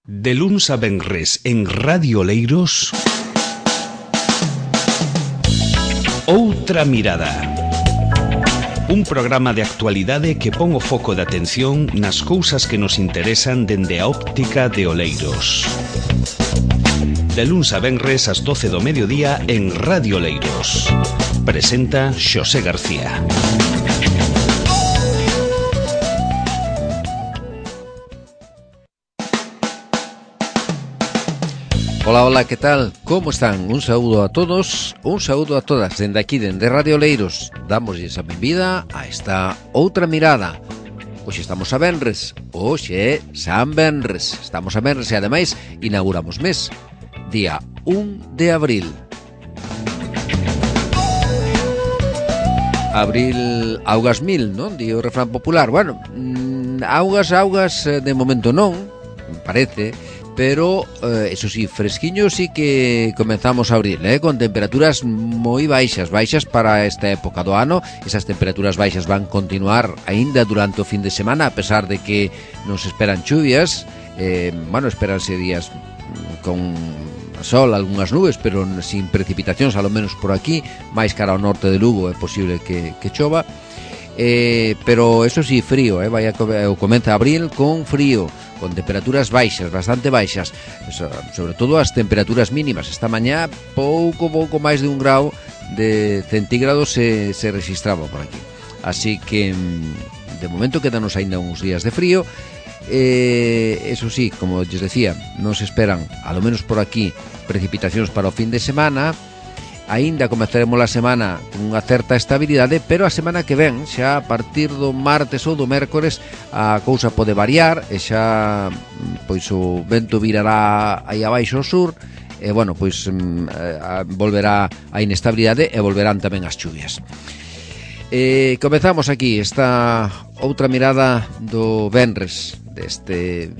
De luns a venres en Radio Oleiros, Outra Mirada. Un programa de actualidade que pon o foco de atención nas cousas que nos interesan dende a óptica de Oleiros. De luns a venres ás 12 do mediodía en Radio Oleiros. Presenta Xosé García. Hola, hola, ¿qué tal? ¿Cómo están? Un saúdo a todos, un saúdo a todas. Dende aquí, dende Radio Oleiros, damosles a benvida a esta Outra Mirada. Hoxe estamos a venres, hoxe é San Venres. Estamos a venres e ademais inauguramos mes, día 1 de abril. Abril, augas mil, non? Di o refrán popular. Bueno, augas, de momento non, parece. Pero, eso sí, fresquiño sí que comenzamos a abril, con temperaturas moi baixas para esta época do ano. Esas temperaturas baixas van continuar aínda durante o fin de semana, a pesar de que nos esperan chuvias. Esperanse días con sol, algunhas nubes, pero sin precipitacións, ao menos por aquí. Mais cara ao norte de Lugo é posible que chova. Pero eso sí, frío, comeza abril con frío, con temperaturas baixas, bastante baixas, sobre todo as temperaturas mínimas. Esta mañá pouco máis de 1 grau de centígrados se registraba por aquí. Así que de momento quedanos aínda uns días de frío. Eso sí, como lles decía, non se esperan, ao menos por aquí, precipitacións para o fin de semana. Aínda comezaremos a semana con unha certa estabilidade, pero a semana que ven, xa a partir do martes ou do mércores, a cousa pode variar e xa pois o vento virará aí abaixo ao sur e volverá a inestabilidade e volverán tamén as chuvias. Comezamos aquí esta outra mirada do venres deste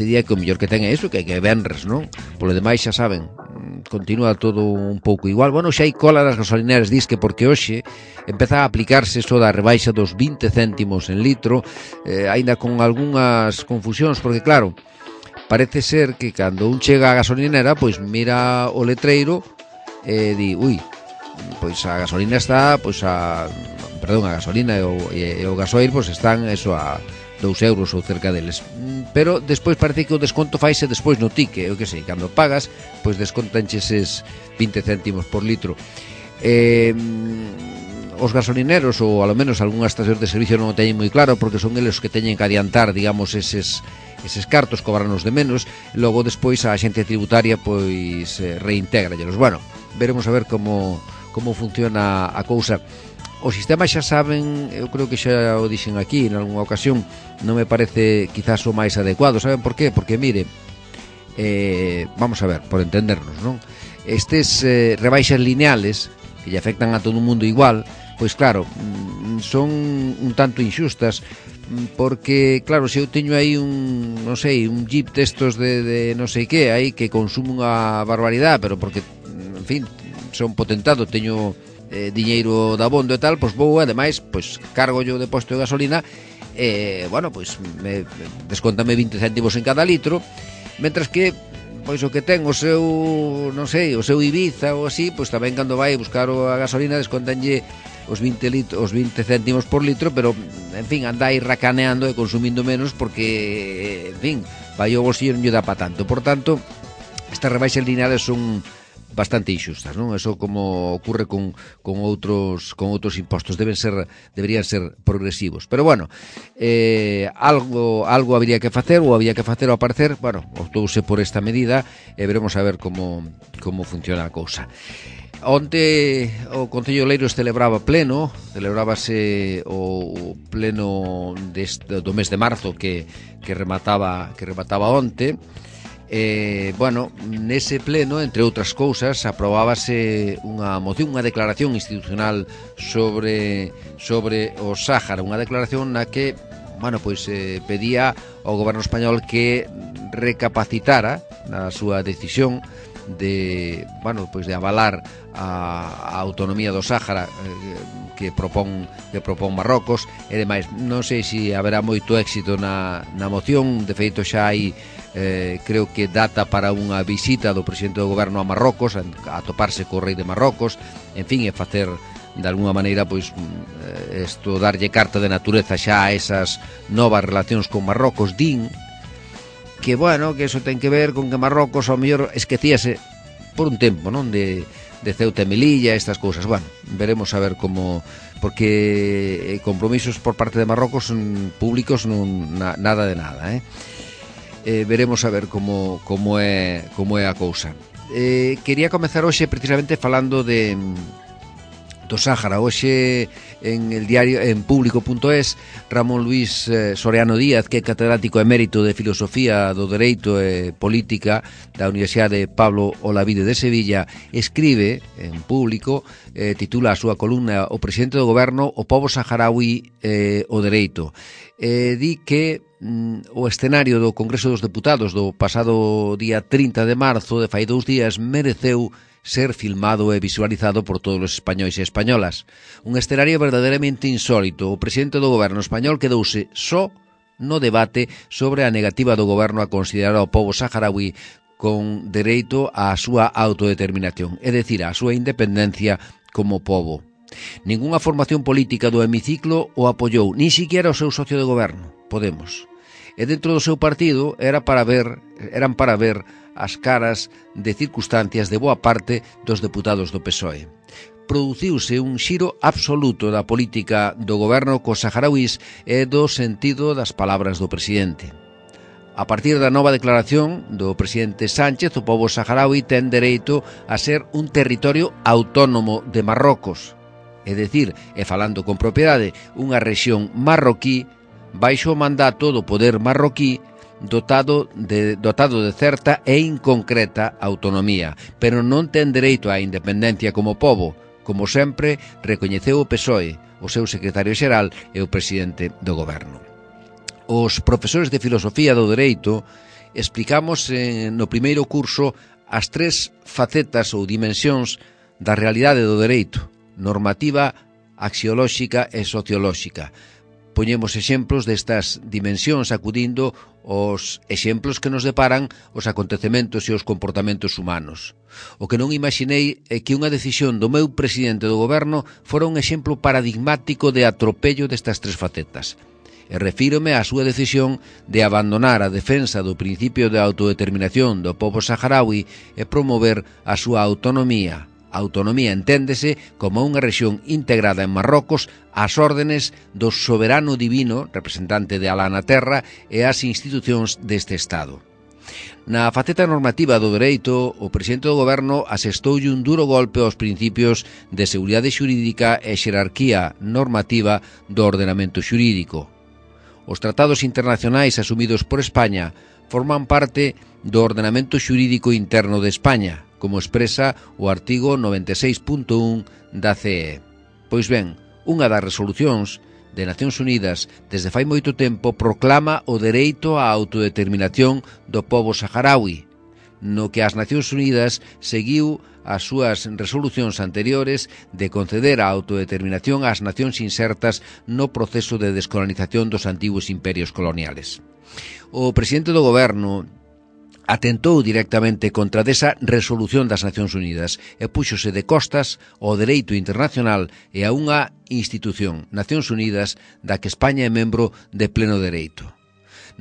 día, que o mellor que ten é iso, que é venres, non? Polo demais xa saben, continúa todo un pouco igual. Bueno, xa hai cola das gasolineras, disque, porque hoxe empeza a aplicarse eso da rebaixa dos 20 céntimos en litro, aínda con algunhas confusións, porque claro, parece ser que cando un chega á gasolinera, pois mira o letreiro e di, pois a gasolina está, a gasolina e o gasoil pois están eso a 2 euros ou cerca deles. Pero despois parece que o desconto faise despois no ticket, eu que sei, cando pagas, pois descontanche eses 20 céntimos por litro. Os gasolineros, ou ao menos algunhas estacións de servicio, non o teñen moi claro, porque son eles os que teñen que adiantar, digamos, eses cartos, cobranos de menos, e logo despois a axencia tributaria pois reintégrallelos. Bueno, veremos a ver como funciona a cousa. O sistema, xa saben, eu creo que xa o dixen aquí en algunha ocasión, non me parece quizás o máis adecuado. Saben por qué? Porque, mire, vamos a ver, por entendernos, non? Estes rebaixas lineales, que lle afectan a todo o mundo igual, pois claro, son un tanto inxustas, porque, claro, se eu teño aí un jeep destos de non sei que, aí que consume unha barbaridade, pero porque, en fin, son potentado, teño diñeiro de abondo e tal, pois vou, ademais, pois cargo yo de posto de gasolina e, me descontame 20 céntimos en cada litro, mentras que, pois o que ten o seu, o seu Ibiza ou así, pois tamén cando vai buscar a gasolina descontanlle os 20 céntimos por litro, pero, en fin, anda aí racaneando e consumindo menos porque, en fin, vai o bolsillo non lle dá pa tanto. Por tanto, estas rebaixas lineales son bastante inxustas, non? Eso como ocurre con outros impostos, deberían ser progresivos. Pero bueno, algo habría que facer, ou había que facer ao parecer. Bueno, optouse por esta medida e veremos a ver como funciona a cousa. Onte o Concello de Oleiros celebrábase o pleno do mes de marzo que remataba onte. Nese pleno, entre outras cousas, aprobábase unha moción, unha declaración institucional sobre o Sáhara, unha declaración na que, pedía ao goberno español que recapacitara na súa decisión de avalar a autonomía do Sáhara que propón Marrocos, e demais. Non sei se haberá moito éxito na moción. De feito, xa hai creo que data para unha visita do presidente do goberno a Marrocos, a toparse co rei de Marrocos, en fin, e facer de alguna maneira darlle carta de natureza xa a esas novas relacións con Marrocos. Din que, que eso ten que ver con que Marrocos ao mellor esquecíase por un tempo, non, de Ceuta e Melilla, estas cousas. Veremos a ver como, porque compromisos por parte de Marrocos públicos nada de nada, veremos a ver como é a cousa. Quería comezar hoxe precisamente falando do Sáhara. Hoxe en el diario, en público.es, Ramón Luis Soriano Díaz, que é catedrático emérito de Filosofía do Dereito e Política da Universidade Pablo Olavide de Sevilla, escribe en Público, titula a súa columna "O presidente do goberno, o pobo saharaui o dereito". Di que o escenario do Congreso dos Deputados do pasado día 30 de marzo, de fai 2 días, mereceu ser filmado e visualizado por todos os españois e españolas. Un escenario verdadeiramente insólito. O presidente do goberno español quedouse só no debate sobre a negativa do goberno a considerar ao pobo saharaui con dereito á súa autodeterminación, é dicir, á súa independencia como pobo. Ningunha formación política do hemiciclo o apoiou, nin siquiera o seu socio de goberno, Podemos. E dentro do seu partido eran para ver as caras de circunstancias de boa parte dos deputados do PSOE. Produciuse un xiro absoluto da política do goberno cos saharauís e do sentido das palabras do presidente. A partir da nova declaración do presidente Sánchez, o pobo saharaui ten dereito a ser un territorio autónomo de Marrocos, é dicir, e falando con propiedade, unha rexión marroquí baixo o mandato do poder marroquí, dotado de certa e inconcreta autonomía, pero non ten dereito á independencia como pobo, como sempre recoñeceu o PSOE, o seu secretario xeral e o presidente do goberno. Os profesores de filosofía do dereito explicamos no primeiro curso as 3 facetas ou dimensións da realidade do dereito: normativa, axiolóxica e sociolóxica. Poñemos exemplos destas dimensións acudindo aos exemplos que nos deparan os acontecementos e os comportamentos humanos. O que non imaginei é que unha decisión do meu presidente do goberno fora un exemplo paradigmático de atropello destas 3 facetas. E refírome á súa decisión de abandonar a defensa do principio de autodeterminación do pobo saharaui e promover a súa autonomía. Autonomía enténdese como unha rexión integrada en Marrocos ás órdenes do soberano divino, representante de Alá na terra, e as institucións deste Estado. Na faceta normativa do dereito, o presidente do goberno asestoulle un duro golpe aos principios de seguridade xurídica e xerarquía normativa do ordenamento xurídico. Os tratados internacionais asumidos por España forman parte do ordenamento xurídico interno de España, como expresa o artigo 96.1 da CE. Pois ben, unha das resolucións de Nacións Unidas desde fai moito tempo proclama o dereito á autodeterminación do pobo saharaui, no que as Nacións Unidas seguiu as súas resolucións anteriores de conceder a autodeterminación ás nacións insertas no proceso de descolonización dos antigos imperios coloniales. O presidente do goberno atentou directamente contra desa resolución das Nacións Unidas e púxose de costas ao dereito internacional e a unha institución, Nacións Unidas, da que España é membro de pleno dereito.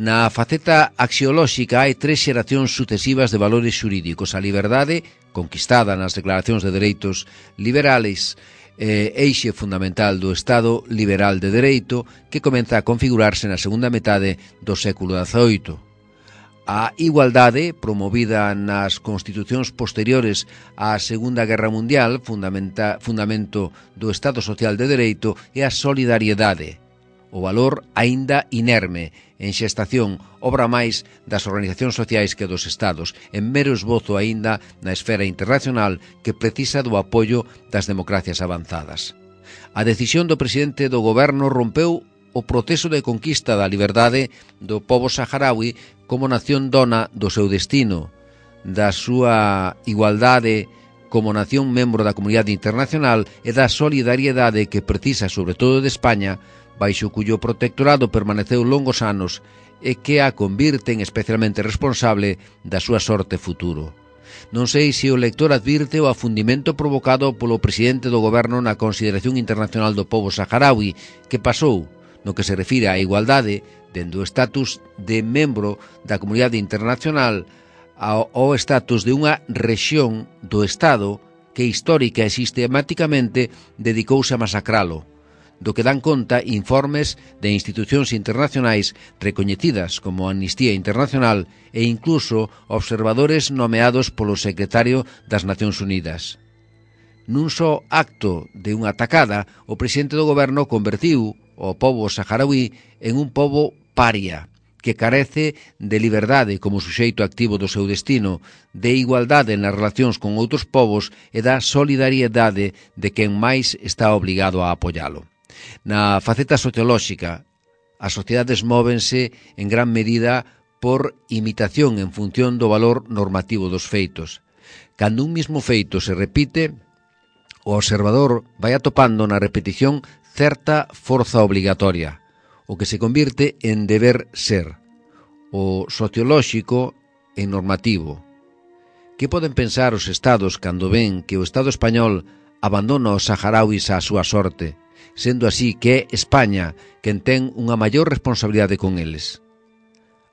Na faceta axiolóxica hai 3 xeracións sucesivas de valores xurídicos: a liberdade, conquistada nas declaracións de dereitos liberales, eixe fundamental do Estado liberal de dereito, que comeza a configurarse na segunda metade do século XVIII. A igualdade, promovida nas constitucións posteriores á Segunda Guerra Mundial, fundamento do Estado Social de Dereito, e a solidariedade, o valor aínda inerme, en xestación, obra máis das organizacións sociais que dos Estados, en mero esbozo aínda na esfera internacional que precisa do apoio das democracias avanzadas. A decisión do presidente do goberno rompeu o proceso de conquista da liberdade do pobo saharaui como nación dona do seu destino, da súa igualdade como nación membro da comunidade internacional e da solidariedade que precisa, sobre todo de España, baixo cuyo protectorado permaneceu longos anos e que a convirten especialmente responsable da súa sorte futuro. Non sei se o lector advirte o afundimento provocado polo presidente do goberno na consideración internacional do pobo saharaui, que pasou, no que se refire á igualdade, dende o estatus de membro da comunidade internacional ao estatus de unha rexión do Estado que histórica e sistematicamente dedicouse a masacralo, do que dan conta informes de institucións internacionais recoñecidas como Amnistía Internacional e incluso observadores nomeados polo secretario das Nacións Unidas. Nun só acto de unha atacada, o presidente do goberno convertiu o pobo saharaui en un pobo paria, que carece de liberdade como suxeito activo do seu destino, de igualdade nas relacións con outros povos e da solidariedade de quen máis está obligado a apoialo. Na faceta sociolóxica, as sociedades móvense en gran medida por imitación en función do valor normativo dos feitos. Cando un mismo feito se repite, o observador vai atopando na repetición certa forza obligatoria, o que se convirte en deber ser, o sociolóxico en normativo. Que poden pensar os estados cando ven que o Estado español abandona os saharauis á súa sorte, sendo así que é España quen ten unha maior responsabilidade con eles?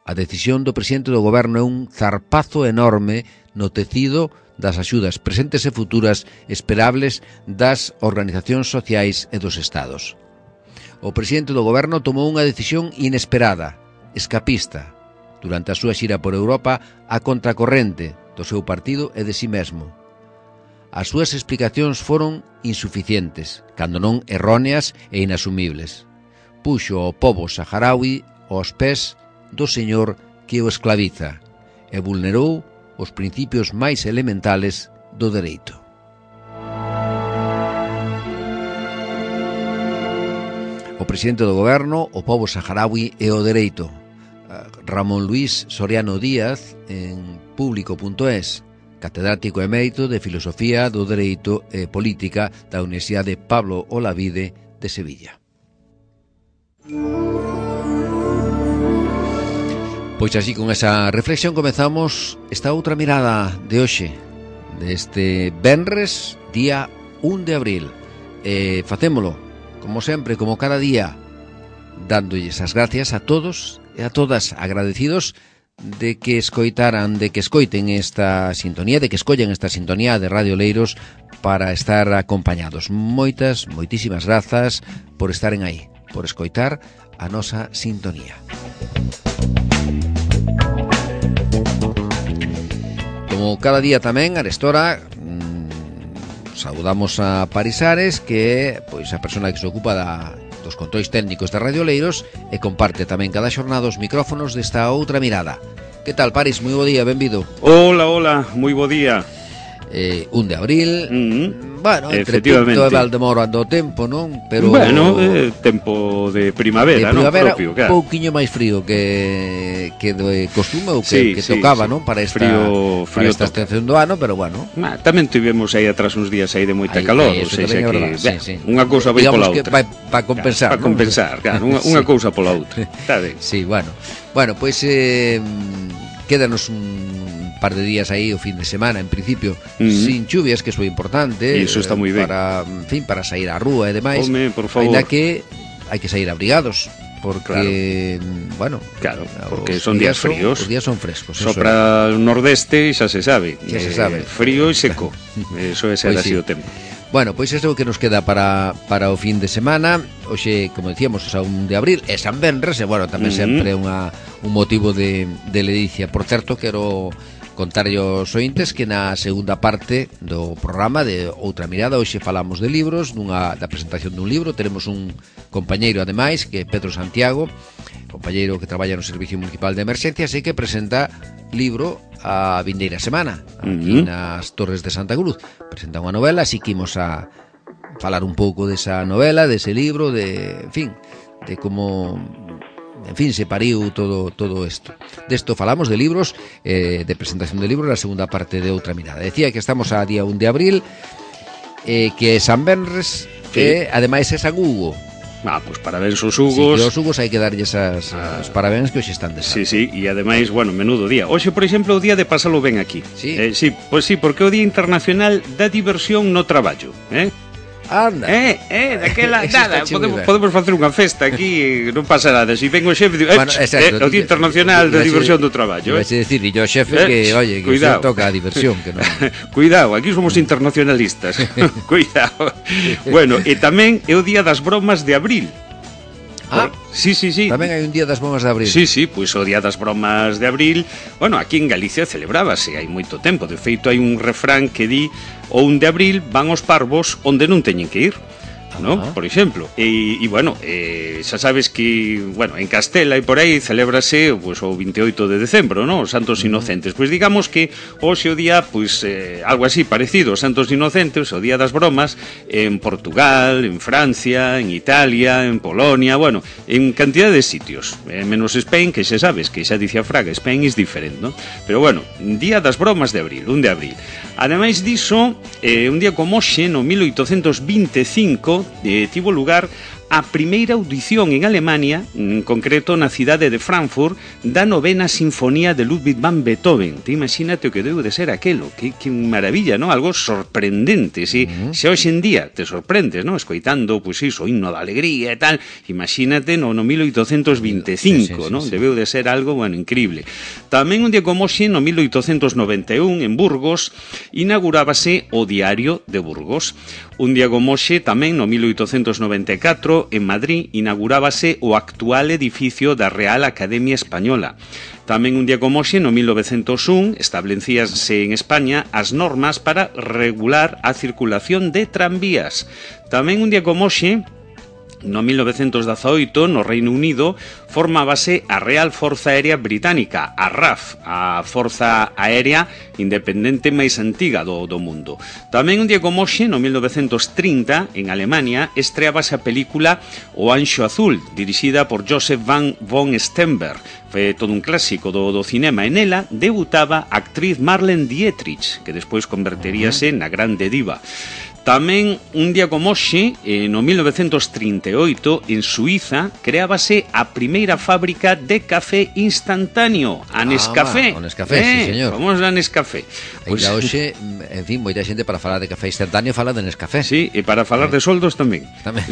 A decisión do presidente do goberno é un zarpazo enorme no tecido das axudas presentes e futuras esperables das organizacións sociais e dos estados. O presidente do goberno tomou unha decisión inesperada, escapista, durante a súa xira por Europa a contracorrente do seu partido e de si mesmo. As súas explicacións foron insuficientes, cando non erróneas e inasumibles. Puxo o pobo saharaui aos pés do señor que o esclaviza e vulnerou os principios máis elementales do dereito. O presidente do goberno, o pobo saharaui e o dereito. Ramón Luis Soriano Díaz, en público.es, catedrático emérito de Filosofía do Dereito e Política da Universidade Pablo Olavide de Sevilla. Pois así, con esa reflexión comezamos esta outra mirada de hoxe, deste venres, día 1 de abril. Facémolo, como sempre, como cada día, dándolles as gracias a todos e a todas, agradecidos de que escoiten esta sintonía, de que escollen esta sintonía de Radio Oleiros para estar acompañados. Moitísimas grazas por estaren aí, por escoitar a nosa sintonía. Como cada día tamén, arestora, saudamos a Parisares, que é pois a persona que se ocupa dos controis técnicos da Radio Oleiros e comparte tamén cada xornada os micrófonos desta outra mirada. Que tal, Paris? Moi bo día, benvido. Hola, moi bo día. 1 de abril. Bueno, entre Pinto e Valdemoro ando o tempo, non? Pero bueno, tempo de primavera, non? Propio, claro. Un pouquiño máis frío que de costume ou que tocaba, non? Para esta esta estación do ano, pero bueno. Tamén tivemos aí atrás uns días aí de moita calor, ou seja que unha cousa vai pola outra. Para compensar, para compensar, claro, unha cousa pola outra. Sí, bueno, pois quédanos un par de días aí o fin de semana, en principio, sin chuvias, que é moi importante. E iso está moi ben. Para sair á rúa e demais. Home, por favor. Ainda que hai que sair abrigados, porque, bueno, porque son días fríos. Os días son frescos. Sopra o nordeste, xa se sabe. Frío e seco. Eso é ser así o tempo. Bueno, pois isto é o que nos queda para o fin de semana. Hoxe, como decíamos, é 1 de abril, é San Venres, e, bueno, tamén sempre un motivo de ledicia. Por certo, quero contarlle aos ointes que na segunda parte do programa de Outra Mirada hoxe falamos de libros, da presentación dun libro. Teremos un compañeiro, ademais, que é Pedro Santiago, compañeiro que traballa no Servicio Municipal de Emerxencias e que presenta libro a vindeira semana aquí nas Torres de Santa Cruz. Presenta unha novela, así que imos a falar un pouco desa novela, dese libro, de, en fin, de como en fin, se pariu todo isto. Desto falamos de libros, de presentación de libros, na segunda parte de Outra Mirada. Decía que estamos a día 1 de abril, que é San Benres, que ademais é San Hugo. Pois parabéns aos Hugos. Sí, que aos Hugos hai que darlles os parabéns que hoxe están de santo. Sí, e ademais, bueno, menudo día. Hoxe, por exemplo, o día de pasalo ben aquí. Sí? Sí, porque é o Día Internacional da Diversión no Traballo, Anda. Daquela nada, podemos facer unha festa aquí, non pasa nada. Si vengo o xefe, bueno, exacto, o Día Internacional da Diversión do Traballo. Vais a decir, e yo xefe que, oye, que se toca a diversión, que non. Cuidado, aquí somos internacionalistas. Cuidado. Bueno, e tamén é o Día das Bromas de abril. Sí. Tamén hai un día das bromas de abril. Sí, pois o día das bromas de abril, bueno, aquí en Galicia celebrábase hai moito tempo. De feito, hai un refrán que di: o 1 de abril van os parvos onde non teñen que ir, ¿no? Por exemplo. E bueno, xa sabes que, bueno, en Castela e por aí celébrase pues, o 28 de decembro, ¿no? Os Santos Inocentes. Pois digamos que hoxe o día, pues, algo así parecido, os Santos Inocentes, o día das bromas, en Portugal, en Francia, en Italia, en Polonia, bueno, en cantidad de sitios, menos Spain, que xa sabes, que xa dicía Fraga, Spain is different, ¿no? Pero bueno, día das bromas de abril, 1 de abril. Ademais diso, un día como hoxe, no 1825, tivo lugar a primeira audición en Alemania, en concreto na cidade de Frankfurt, da 9ª Sinfonía de Ludwig van Beethoven. Te imagínate o que deu de ser aquelo, que maravilla, ¿no? Algo sorprendente, si xa hoxe en día te sorprendes, ¿no? Escoitando, pois iso, o himno da alegría e tal, imagínate no 1825, ¿no? Debeu de ser algo, bueno, increíble. Tamén un día como hoxe, no 1891, en Burgos, inaugurábase o Diario de Burgos. Un día como hoxe, tamén no 1894, en Madrid, inaugurábase o actual edificio da Real Academia Española. Tamén un día como hoxe, no 1901, establecíanse en España as normas para regular a circulación de tranvías. Tamén un día como hoxe, no 1918, no Reino Unido, formábase a Real Forza Aérea Británica, a RAF, a Forza Aérea Independente máis antiga do mundo. Tamén un día como hoxe, no 1930, en Alemania, estreábase a película O Anxo Azul, dirixida por Joseph von Sternberg. Foi todo un clásico do cinema. En ela debutaba a actriz Marlene Dietrich, que despois converteríase na grande diva. Tamén, un día como hoxe, no 1938, en Suiza, creábase a primeira fábrica de café instantáneo, a Nescafé. O Nescafé, sí, señor. Vamos a Nescafé. Pois hoxe, en fin, moita xente para falar de café instantáneo fala de Nescafé. Sí, e para falar de soldos tamén. Tamén,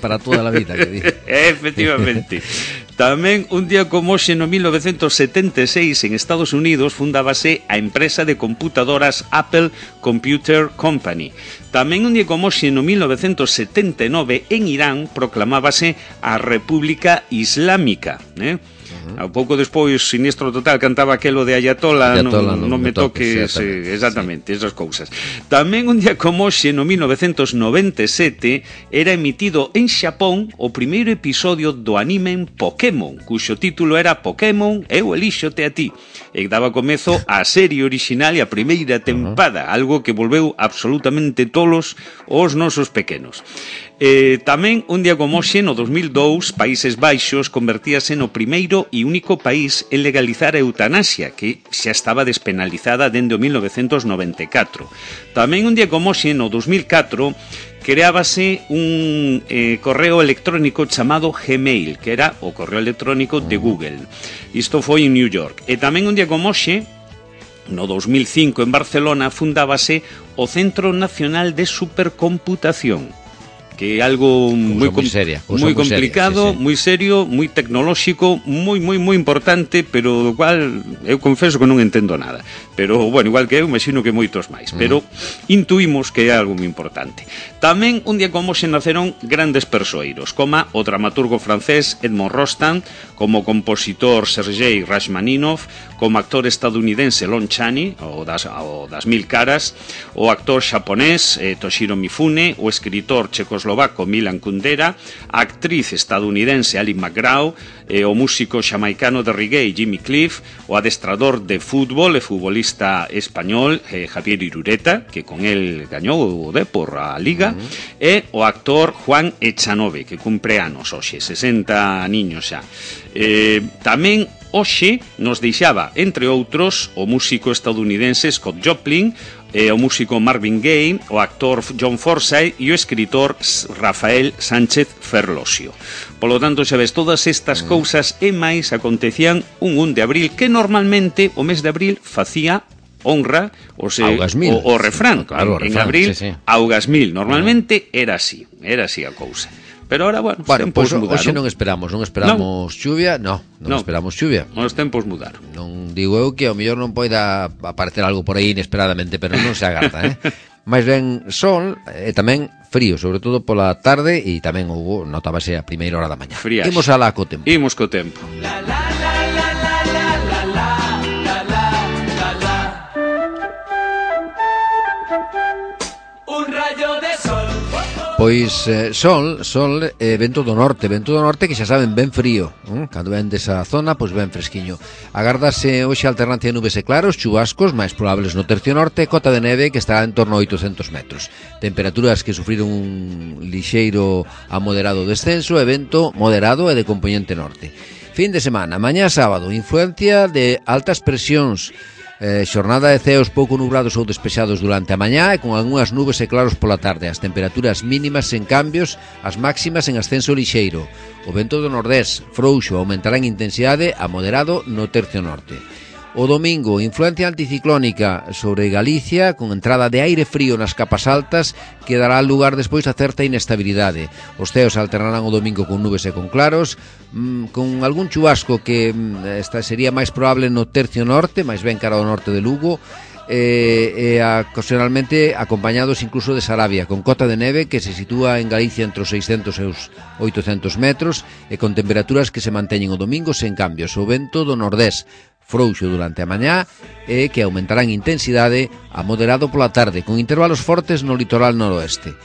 para toda a vida, que digo. Efectivamente. Tamén, un día como hoxe, no 1976, en Estados Unidos, fundábase a empresa de computadoras Apple Computer Company. Tamén un día como hoxe, no 1979, en Irán, proclamábase a República Islámica, A pouco despois, Sinistro Total cantaba aquelo de Ayatola, non me toques, exactamente, esas cousas. Tamén un día como hoxe, no 1997, era emitido en Xapón o primeiro episodio do anime Pokémon, cuxo título era Pokémon, eu elíxote a ti, e daba comezo á serie orixinal e a primeira tempada, algo que volveu absolutamente tolos os nosos pequenos. Tamén, un día como hoxe, no 2002, Países Baixos convertíase no primeiro e único país en legalizar a eutanasia, que xa estaba despenalizada dende o 1994. Tamén, un día como hoxe, no 2004, creábase un correo electrónico chamado Gmail, que era o correo electrónico de Google. Isto foi en New York. E tamén, un día como hoxe, no 2005, en Barcelona, fundábase o Centro Nacional de Supercomputación, que é algo moi complicado, moi serio, moi tecnolóxico, moi importante, pero do cual eu confeso que non entendo nada. Pero, bueno, igual que eu, imagino que moitos máis. Pero intuímos que é algo moi importante. Tamén, un día como se naceron grandes persoeiros, como o dramaturgo francés Edmond Rostand, como compositor Sergei Rachmaninoff, como actor estadounidense Lon Chaney, o das 1000 caras, o actor xaponés Toshiro Mifune, o escritor checoslovaco eslovaco Milan Kundera, a actriz estadounidense Ali McGraw, o músico xamaicano de reggae Jimmy Cliff, o adestrador de fútbol e futbolista español Javier Irureta, que con el gañou o Depor a Liga, e o actor Juan Echanove, que cumpre anos hoxe, 60 niños xa. Tamén hoxe nos deixaba, entre outros, o músico estadounidense Scott Joplin, o músico Marvin Gaye, o actor John Forsythe e o escritor Rafael Sánchez Ferlosio. Polo tanto, xa ves, todas estas cousas e máis acontecían un 1 de abril, que normalmente o mes de abril facía honra o refrán, claro, en abril, sí. Augasmil, normalmente era así a cousa. Pero ahora, bueno, os tempos mudaron. Hoxe non esperamos chuvia, non esperamos chuvia. Os tempos mudaron. Non digo eu que ao mellor non poida aparecer algo por aí inesperadamente, pero non se agarda, Mais ben sol e tamén frío, sobre todo pola tarde, e tamén notábase a primeira hora da mañá. Friaxe. Imos alá co tempo. Imos co tempo. Un rayo de sol. Pois sol, vento do norte que xa saben ben frío, cando ven desa zona, pois ben fresquiño. Agardase hoxe alternancia de nubes e claros, chubascos máis probables no tercio norte, cota de neve que estará en torno a 800 metros. Temperaturas que sufriron un lixeiro a moderado descenso e vento moderado e de componente norte. Fin de semana, mañá sábado, influencia de altas presións, xornada de ceos pouco nubrados ou despexados durante a mañá e con algunhas nubes e claros pola tarde. As temperaturas mínimas en cambios, as máximas en ascenso lixeiro. O vento do nordés frouxo aumentará en intensidade a moderado no tercio norte. O domingo, influencia anticiclónica sobre Galicia con entrada de aire frío nas capas altas que dará lugar despois a certa inestabilidade. Os ceos alternarán o domingo con nubes e con claros, con algún chubasco que sería máis probable no tercio norte, máis ben cara ao norte de Lugo, ocasionalmente acompañados incluso de Sarabia, con cota de neve que se sitúa en Galicia entre os 600 e os 800 metros e con temperaturas que se manteñen o domingo sen cambios. O vento do nordés frouxo durante a mañá e que aumentará en intensidade a moderado pola tarde, con intervalos fortes no litoral noroeste.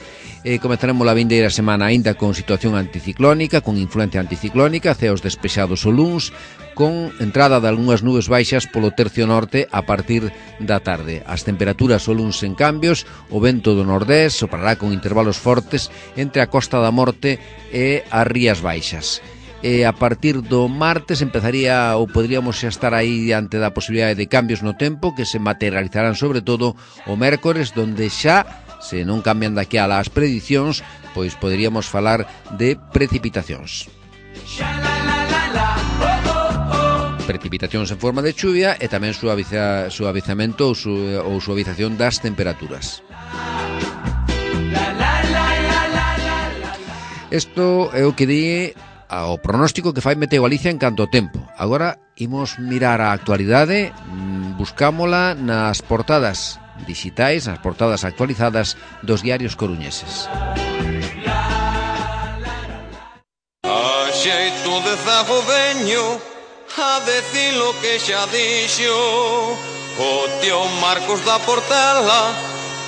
Comezaremos a vindeira semana aínda con situación anticiclónica, con influencia anticiclónica, ceos despexados o luns, con entrada de algunhas nubes baixas polo tercio norte a partir da tarde. As temperaturas o luns en cambios, o vento do nordés soprará con intervalos fortes entre a Costa da Morte e as Rías Baixas. A partir do martes empezaría ou podríamos xa estar aí diante da posibilidade de cambios no tempo que se materializarán sobre todo o mércores, donde xa, se non cambian daqui a las predicións, pois poderíamos falar de precipitacións. Precipitacións en forma de chuvia e tamén suavizamento ou suavización das temperaturas. Isto é o que di o pronóstico que fai Meteo Galicia en canto ao tempo. Agora imos mirar a actualidade, buscámola nas portadas digitais, nas portadas actualizadas dos diarios coruñeses. A xeito de zago veño a decir lo que xa dixo o tío Marcos da Portela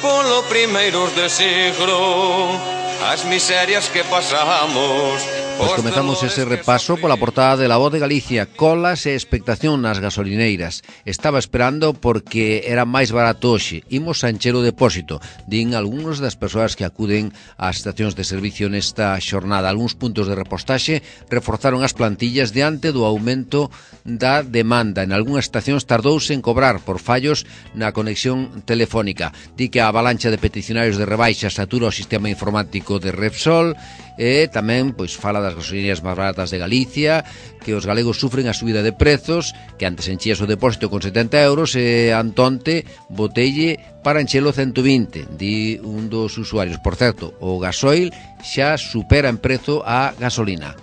polo primeiros de siglo, as miserias que pasamos. Pois comezamos ese repaso pola portada de La Voz de Galicia. Colas e expectación nas gasolineiras. Estaba esperando porque era máis barato hoxe. Imos a encher o depósito, din algúns das persoas que acuden ás estacións de servicio nesta xornada. Algúns puntos de repostaxe reforzaron as plantillas diante do aumento da demanda. En algunhas estacións tardouse en cobrar por fallos na conexión telefónica. Di que a avalancha de peticionarios de rebaixa satura o sistema informático de Repsol e tamén pois fala das gasolineras máis baratas de Galicia, que os galegos sufren a subida de prezos, que antes enchías o depósito con 70 euros e antonte botelle para enchelo 120, di un dos usuarios. Por certo, o gasoil xa supera en prezo a gasolina.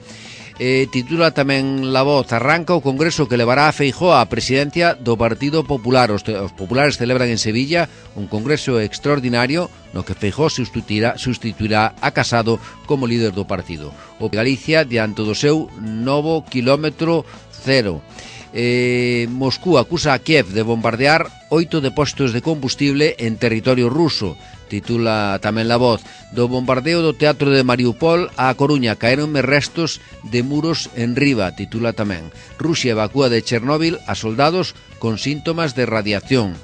Titula tamén La Voz: arranca o congreso que levará a Feijóo á presidencia do Partido Popular. Os populares celebran en Sevilla un congreso extraordinario no que Feijóo sustituirá a Casado como líder do partido. O Galicia diante do seu novo quilómetro cero. Moscú acusa a Kiev de bombardear 8 depósitos de combustible en territorio ruso. titula tamén La Voz. Do bombardeo do teatro de Mariupol a Coruña caéronme restos de muros en riba, titula tamén. Rusia evacúa de Chernóbil a soldados con síntomas de radiación.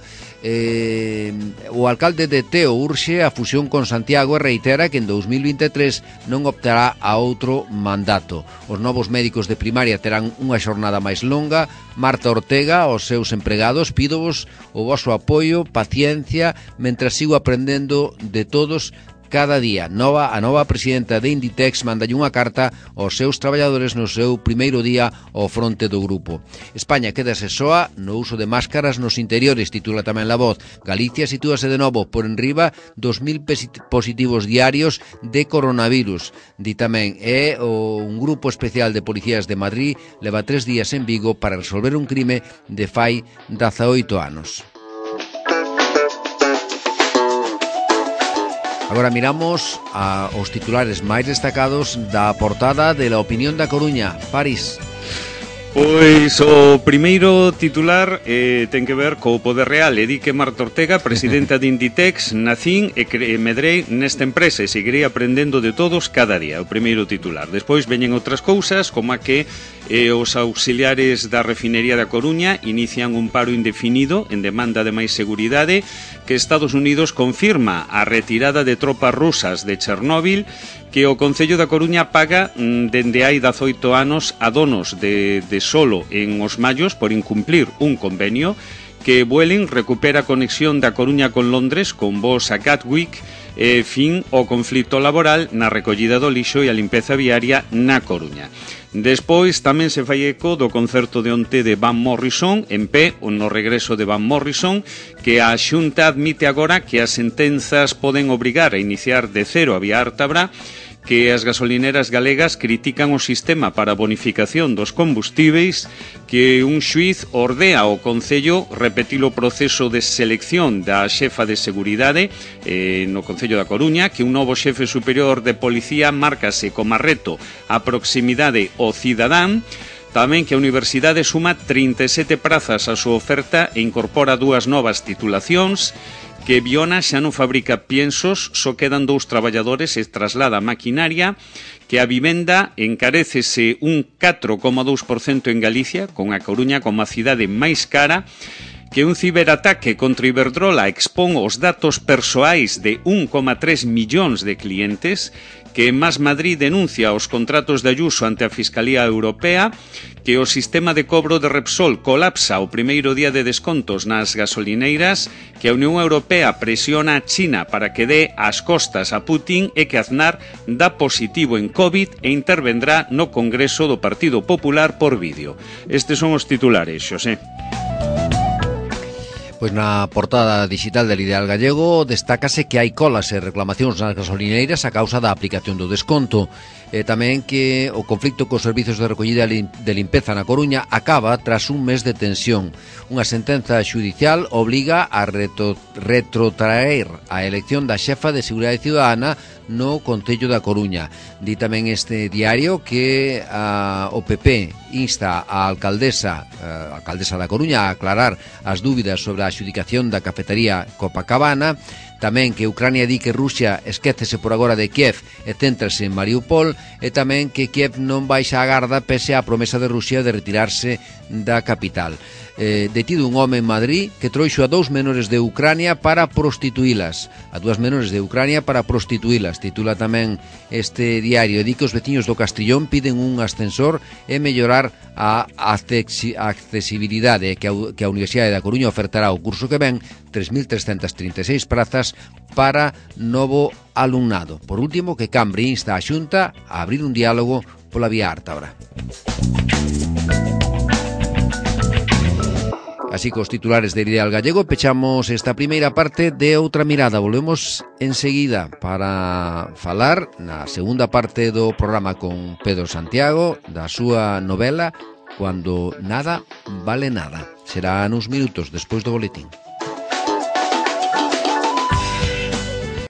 O alcalde de Teo urxe a fusión con Santiago e reitera que en 2023 non optará a outro mandato. Os novos médicos de primaria terán unha xornada máis longa. Marta Ortega, aos seus empregados, pídovos o voso apoio, paciencia, mentras sigo aprendendo de todos cada día. A nova presidenta de Inditex mandalle unha carta aos seus traballadores no seu primeiro día ao fronte do grupo. España quedase soa no uso de máscaras nos interiores, titula tamén La Voz. Galicia sitúase de novo por enriba 2.000 positivos diarios de coronavirus. Di tamén, un grupo especial de policías de Madrid leva 3 días en Vigo para resolver un crime de fai 18 anos. Agora miramos aos titulares máis destacados da portada de La Opinión da Coruña. París. Pois o primeiro titular ten que ver co poder real. E di que Marta Ortega, presidenta de Inditex, nacín e medrei nesta empresa e seguirei aprendendo de todos cada día. O primeiro titular. Despois veñen outras cousas, como a que os auxiliares da refinería da Coruña inician un paro indefinido en demanda de máis seguridade, que Estados Unidos confirma a retirada de tropas rusas de Chernóbil, que o Concello da Coruña paga dende hai 18 anos a donos de solo en Os Mallos por incumplir un convenio, que Vueling recupera a conexión da Coruña con Londres con voos a Gatwick, fin ao conflito laboral na recollida do lixo e a limpeza viaria na Coruña. Despois tamén se fai eco do concerto de onte de Van Morrison en pé, no regreso de Van Morrison, que a Xunta admite agora que as sentenzas poden obrigar a iniciar de cero a vía Ártabra, que as gasolineras galegas critican o sistema para a bonificación dos combustíveis, que un xuiz ordea ao Concello repetir o proceso de selección da xefa de seguridade no Concello da Coruña, que un novo xefe superior de policía márcase como reto a proximidade ao cidadán. Tamén que a Universidade suma 37 prazas á súa oferta e incorpora 2 novas titulacións, que Biona xa non fabrica piensos, só quedan 2 traballadores e traslada a maquinaria, que a vivenda encarécese un 4,2% en Galicia, con a Coruña como a cidade máis cara, que un ciberataque contra Iberdrola expón os datos persoais de 1,3 millóns de clientes, que Más Madrid denuncia os contratos de Ayuso ante a Fiscalía Europea, que o sistema de cobro de Repsol colapsa o primeiro día de descontos nas gasolineiras, que a Unión Europea presiona a China para que dé as costas a Putin e que Aznar dá positivo en COVID e intervendrá no Congreso do Partido Popular por vídeo. Estes son os titulares, Xosé. Pois na portada digital del Ideal Gallego destácase que hai colas e reclamacións nas gasolineiras a causa da aplicación do desconto. Tamén que o conflicto cos servizos de recollida de limpeza na Coruña acaba tras un mes de tensión. Unha sentenza xudicial obliga a retrotraer a elección da xefa de Seguridade Ciudadana no Concello da Coruña. Di tamén este diario que o PP insta a alcaldesa da Coruña a aclarar as dúbidas sobre a adxudicación da cafetería Copacabana. Tamén que Ucrania di que Rusia esquécese por agora de Kiev e céntrase en Mariupol, e tamén que Kiev non baixa a garda pese á promesa de Rusia de retirarse da capital. Detido un home en Madrid que trouxo a 2 menores de Ucrania para prostituílas. A 2 menores de Ucrania para prostituílas, titula tamén este diario. Di que os veciños do Castrillón piden un ascensor e mellorar a accesibilidade, que a Universidade da Coruña ofertará o curso que ven 3.336 prazas para novo alumnado. Por último, que Cambre insta a Xunta a abrir un diálogo pola vía Ártabra. Así que os titulares de Ideal Gallego pechamos esta primeira parte de Outra Mirada. Volvemos enseguida para falar na segunda parte do programa con Pedro Santiago da súa novela Cuando nada vale nada. Será nuns minutos despois do boletín.